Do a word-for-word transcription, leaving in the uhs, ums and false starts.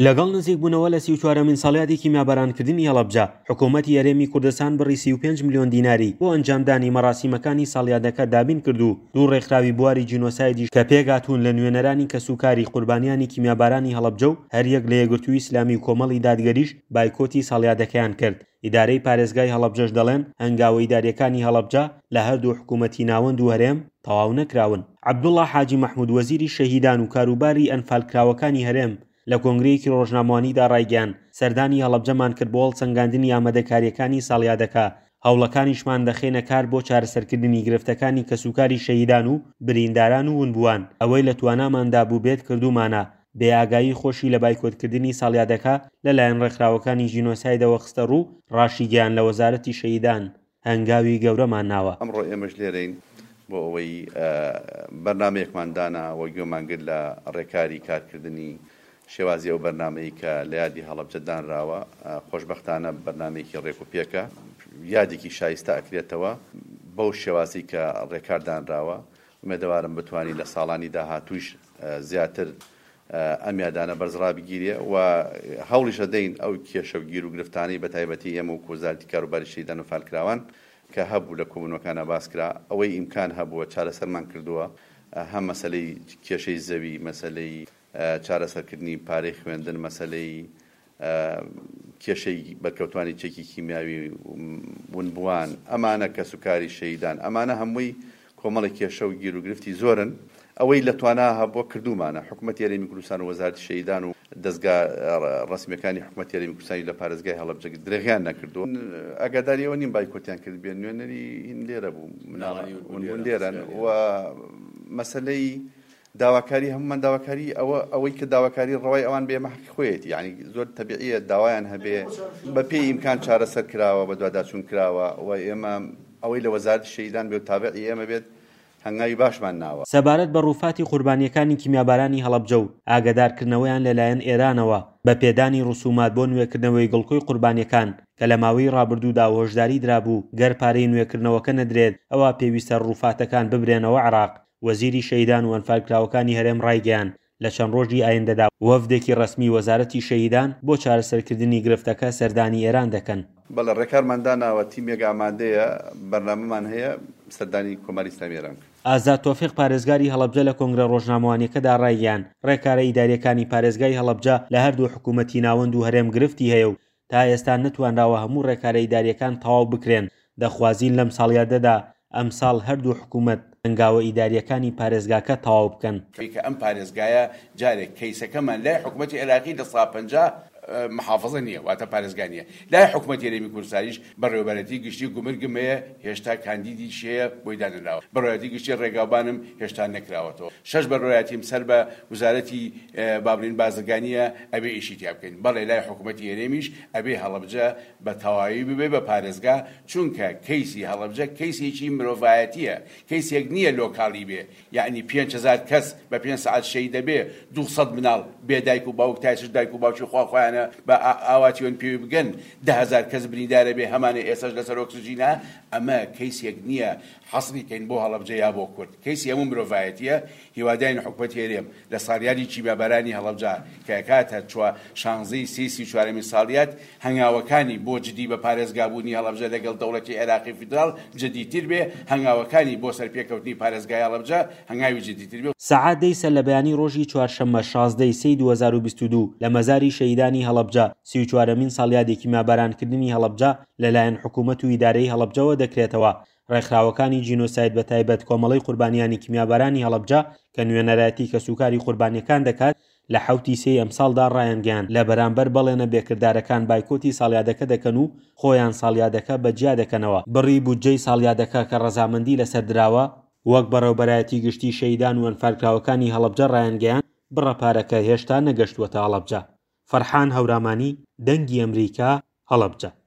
لەگەڵ نزیکبوونەوە لە سی و چوارەمین ساڵیادی کیمیابارانکردنی هەڵەبجە، حکوومەتی هەرێمی کوردستان بڕی سی و پێنج ملیۆن دیناری بۆ ئەنجامدانی مەراسیمەکانی ساڵیادەکە دابین کرد و دوو ڕێکخراوی بواری جینۆسایدیش کە پێکهاتوون لە نوێنەرانی کەسوکاری قوربانیانی کیمیابارانی هەڵەبجە و هەریەک لە یەکگرتووی ئیسلامی و کۆمەڵی دادگەریش بایکۆتی ساڵیادەکەیان کرد. ئیدارەی پارێزگای هەڵەبجەش دەڵێن هەنگاوە ئیداریەکانی هەڵەبجە لە هەردوو حکوومەتی ناوەند و هەرێم تەواو نەکراون. عەبدوڵڵا حاجی مەحمود وەزیری شەهیدان و کاروباری ئەنفالکراوەکانی هەرێم لە کۆنگرەیەکی ڕۆژنامەوانیدا ڕایگەیاند، سەردانی هەڵەبجەمان کرد بۆ هەڵسەنگاندنی ئامادەکارییەکانی ساڵیادەکە، هەوڵەکانیشمان دەخەینە کار بۆ چارەسەرکردنی گرفتەکانی کەسوکاری شەهیدان و برینداران و ونبووان، ئەوەی لە تواناماندا بووبێت کردوومانە. بێ ئاگایی خۆشی لە بایکۆتکردنی ساڵیادەکە لەلایەن ڕێکخراوەکانی جینۆسایدەوە خستە ڕوو، ڕاشیگەیاند لە وەزارەتی شەهیدان هەنگاوی گەورەمان ناوە. ئەمڕۆ ئێمەش لێرەین بۆ ئەوەی بەرنامەیەکمان دانا و گوێمان گرت لە ڕێکاری کارکردنی شێوازی ئەو بەرنامەی کە لە یادی هەڵەبجە دانراوە. خۆشبەختانە بەرنامەیەکی ڕێک و پێکە، یادێکی شایستە ئەکرێتەوە بەو شێوازی کە ڕێکار دانراوە. ئومێدەوارم بتوانین لە ساڵانی داهاتووش زیاتر ئەم یادانە بەرز ڕابگیرێ و هەوڵیش دەین ئەو کێشە و گیر و گرفتانەی بە تایبەتی ئێمە و وەزارەتی کاروباری شەهیدان و ئەنفالکراوان کە هەبوو لە کۆبوونەوەکانە باس کرا، ئەوەی ئیمکان هەبووە چارەسەرمان کردووە، هەم مەسەلەی کێشەی زەوی، مەسەلەی چارەسەرکردنی پارەی خوێندن، مەسەلەی کێشەی بەرکەوتوانی چەکی کیمیاوی ونبووان، ئەمانە کەسوکاری شەهیدان، ئەمانە هەمووی کۆمەڵی کێشە و گیر و گرفتی زۆرن. ئەوەی لە توانا هەبووە کردوومانە. حکوومەتی هەرێمی کوردستان و وەزارەتی شەهیدان و دەزگا ڕەسمیەکانی حکوومەتی هەرێمی کوردستانی لە پارێزگای هەڵەبجە درێغیان نەکردووە. ئاگاداری ئەوە نیم بایکۆتیان کرد بێن، نوێنەری هین لێرە بوو، مناڵانی ونبوون لێرەن و مەسەلەی داواکاری هەمومان داواکاری ئەوە ئەوەی کە داواکاری ڕەوای ئەوان بێ ئێمە حەقی خۆیەتی، یعنی زۆر تەبیعیە داوایان هەبێ بە پێی ئیمکان چارەسەر کراوە، بەدواداچوون کراوە و ئێمە ئەوەی لە وەزارەتی شەهیدان بێ و تابعی ئێمە بێت هەنگاوی باشمان ناوە. سەبارەت بە ڕووفاتی قوربانیەکانی کیمیابارانی هەڵەبجە و ئاگادارکردنەوەیان لەلایەن ئێرانەوە بە پێدانی ڕسومات بۆ نوێکردنەوەی گڵکۆی قوربانیەکان کە لە ماوەی ڕابردوودا هۆشداری درابوو گەر پارەی نوێکردنەوەکە نەدرێت ئەوە پێویستە ڕووفاتەکان ببرێنەوە عێراق. وەزیری شەهیدان و ئەنفالکراوەکانی هەرێم ڕایگەیاند لە چەند ڕۆژی ئایندەدا وەفدێکی ڕەسمی وەزارەتی شەهیدان بۆ چارەسەرکردنی گرفتەکە سەردانی ئێران دەکەن. بەڵێ ڕێکارمان داناوە، تیمێک ئامادەیە، بەرنامەمان هەیە سەردانی کۆماری ئیسلامی ئێران بکەن. ئازاد تۆفیق پارێزگاری هەڵەبجە لە کۆنگرە ڕۆژنامەوانیەکەدا ڕایگەیاند ڕێکارە ئیداریەکانی پارێزگای هەڵەبجە لە هەردوو حکوومەتی ناوەند و هەرێم گرفتی هەیە و تا ئێستا نەتوانراوە هەموو ڕێکارە ئیداریەکان تەواو بکرێن. دەخوازین لەم ساڵیادەدا ئەمساڵ هەردوو حکوومەت هەنگاوە ئیداریەکانی پارێزگاکە تەواو بکەن. کە ئەم پارێزگایە جارێک کەیسەکەمان لای حکوومەتی عێراقی لە سا پەنجا محافظە نییە، واتە پارێزگا نییە. لای حکوومەتی هەرێمی کوردستانیش بەڕێوەبەرەتی گشتی گومرگم هەیە، هێشتا کاندیدیش هەیە بۆی دانەنراوە. بەڕێوەبەرەتی گشتی ڕێگاوبانم هێشتا نەکراوەتەوە. شەش بەڕێوەبەرەتیم سەر بە وەزارەتی بابلین بازرگانیە ئەبێ ئیشی تیا بکەین. بەڵێ لای حکوومەتی هەرێمیش ئەبێ هەڵەبجە بە تەواوی ببێ بە پارێزگا، چونکە کەیسی هەڵەبجە کەیسێکی مرۆڤایەتیە، کەیسێک نییە لۆکالی بێ، یعنی پێنج هەزار کەس بە پێنج سەعات شەهید دەبێ، دوو سەد مناڵ بێ دایک و باوک تایسش دایک و باوکی خوا خۆیانە بە ئاواتیۆن پێوی بگەن، ده هەزار کەس بریندارە بێ هەمانە ئێساش لەسەر ئۆکسجینە. ئەمە کەیسێک نییە حەسری کەین بۆ هەڵەبجە یا بۆ کورد، کەیسی هەموو مرۆڤایەتیە. هیواداین حکوومەتی هەرێم لە ساڵیادی کیمیابارانی هەڵەبجە کە کاتە شانزەی سێ سی و چوارەمین ساڵیاد هەنگاوەکانی بۆ جدی بە پارێزگابوونی هەڵەبجە لەگەڵ دەوڵەتی عێراقی فیدراڵ جدیتر بێ، هەنگاوەکانی بۆ سەرپێکەوتنی پارێزگای هەڵەبجە هەنگاوی جدیتر بێ. سەعات دەی سەر لە بەیانی ڕۆژی چوارشەممە شازدەی سێی دوو هەزار و بیست و دوو لە مەزاری شەهیدانی هەڵەبجە سی و چوارەمین ساڵیادی کیمیابارانکردنی هەڵەبجە لەلایەن حکوومەت و ئیدارەی هەڵەبجەوە دەکرێتەوە. ڕێکخراوەکانی جینۆساید بە تایبەت کۆمەڵەی قوربانیانی کیمیابارانی هەڵەبجە کە نوێنەرایەتی کەسوکاری قوربانیەکان دەکات لە حەوتی سێی ئەمساڵدا ڕایانگەیاند لە بەرامبەر بەڵێنە بێکردارەکان بایکۆتی ساڵیادەکە دەکەن و خۆیان ساڵیادەکە بەجیا دەکەنەوە. بڕی بودجەی ساڵیادەکە کە ڕەزامەندی لەسەر دراوە وەک بەڕێوەبەرایەتی گشتی شەهیدان و ئەنفالکراوەکانی هەڵەبجە ڕایانگەیاند بڕە پارەکە هێشتا نەگەشتووەتە هەڵەبجە. فەرحان هەورامانی، دەنگی ئەمریکا، هەڵەبجە.